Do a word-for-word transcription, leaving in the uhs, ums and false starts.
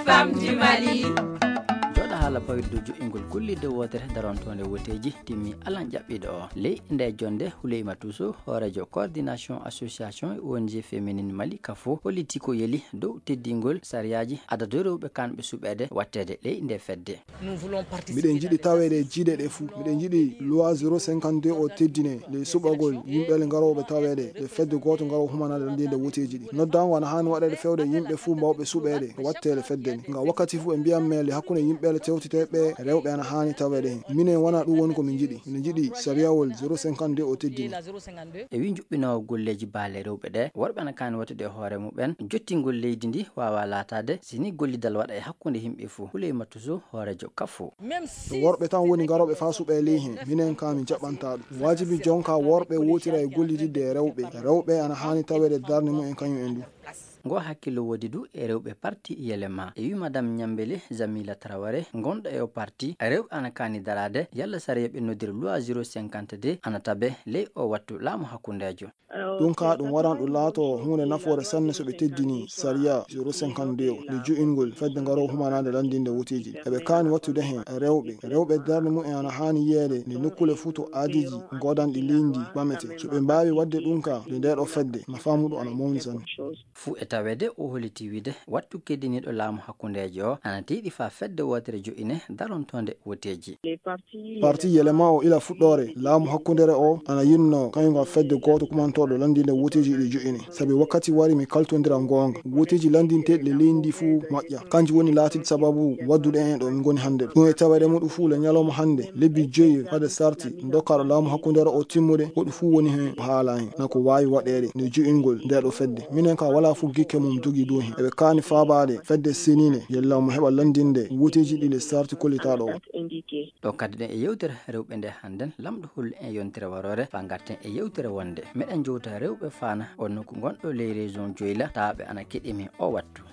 Femme du Mali. Jooɗa haala pawirde joƴƴingol gollirde wootere darontoonde woteeji timmi alan ƴaɓɓiiɗo o. Ley nde jonde Huleyma Tuso, hooreejo coordination association e O N G féminine Mali, kafo, holliti ko yeli dow teddingol sariyaaji adadu rewɓe kanɓe suɓeede watteede ley nde fedde. Miɗen njiɗi taweede e jiiɗe ɗe fuu. Miɗen njiɗi loi zéro cinquante-deux o teddine ley suɓagol yimɓeele ngarooɓe taweede e fedde gooto ngaroo humanaade lanndiinde woteeji ɗi. Noddaango ana haani waɗeede fewde yimɓe fuu mbawɓe suɓeede e watteele fedde nde. Ngam wakkati fuu ɓe mbiyan men le hakkunde yimɓeele tewteteeɓe rewɓe ana haani taweede heen. Minen wonaa ɗum woni ko min njiɗi. Miɗen njiɗi sariyawol zéro cinquante-deux o teddine. E wii njuɓɓinoowo golleeji baale rewɓe ɗe, worɓe ana kaani wattude e hoore muɓen, jottingol leydi ndi waawaa laataade si ni gollidal waɗa e hakkunde yimɓe fuu. Huleyma Tuso, hooreejo kafo. Ɗum worɓe tan woni ngarooɓe faa suɓee ley heen. Minen kaa min jaɓantaa ɗum. Waajibi jonkaa worɓe wootira e gollididde e rewɓe. Rewɓe ana haani taweede darnde mumen kañum en du. Ngo hakkillo woodi du e rewɓe parti Yelema. E wii Madame Ñambele Jamila Traoré, ngonɗo e o parti, rewɓe ana kaani daraade yalla sariya ɓe noddiri loi zéro cinquante-deux ana tabe ley o wattu laamu hakkundeejo. Ɗum kaa ɗum waran ɗum laatoo huunde nafoore sanne so ɓe teddinii sariya zéro cinquante-deux o, nde jo'ingol fedde ngaroo humanaande lanndinde woteeji. Eɓe kaani wattude heen rewɓe. Rewɓe darnde mumen ana haani yiyeede nde nokkuule fuu to aadiiji goodanɗi leydi ɓamete. So ɓe mbaawi waɗde ɗum kaa, nde ndee ɗoo fedde, nafaa muɗum ana mawni sanne. Fuu e taweede o holliti wiide wattu keddiniiɗo laamu hakkundeejo o ana tiiɗi faa fedde wootere jo'ine darontoonde woteeji. Parti Yelema o ila fuɗɗoore laamu hakkundere o ana yinno kañum ngal fedde gooto kumantooɗo lanndinde woteeji ɗi jo'ine. Sabi wakkati wari mi kaltondira ngoonga. Woteeji lanndinteeɗi le leydi ndi fuu moƴƴa. Kanji woni laatiiɗi sababu waddude en ɗo min ngoni hannde ɗo. Ɗum e taweede muɗum fuu le ñalawma hannde, lebbi joyi fade sarti dokkaaɗo laamu hakkundere o timmude, woɗɗum fuu woni heen o haala heen. Na ko waawi waɗeede nde jo'ingol ndee ɗoo fedde. Minen kaa walaa fuu gikke mum jogii dow heen. Eɓe kaani faabaade fedde seniinde, yalla omo heɓa lanndinde woteeji ɗi le sarti kollitaaɗo o. Ɗo kadduɗen e yewtere rewɓe nde hannden, lamɗo hollu en yontere waroore faa ngarten e yewtere wonde. Meɗen jowta rewɓe faana o nokku gonɗo ley région Dioula, tawaaɓe ana keɗii min o wattu.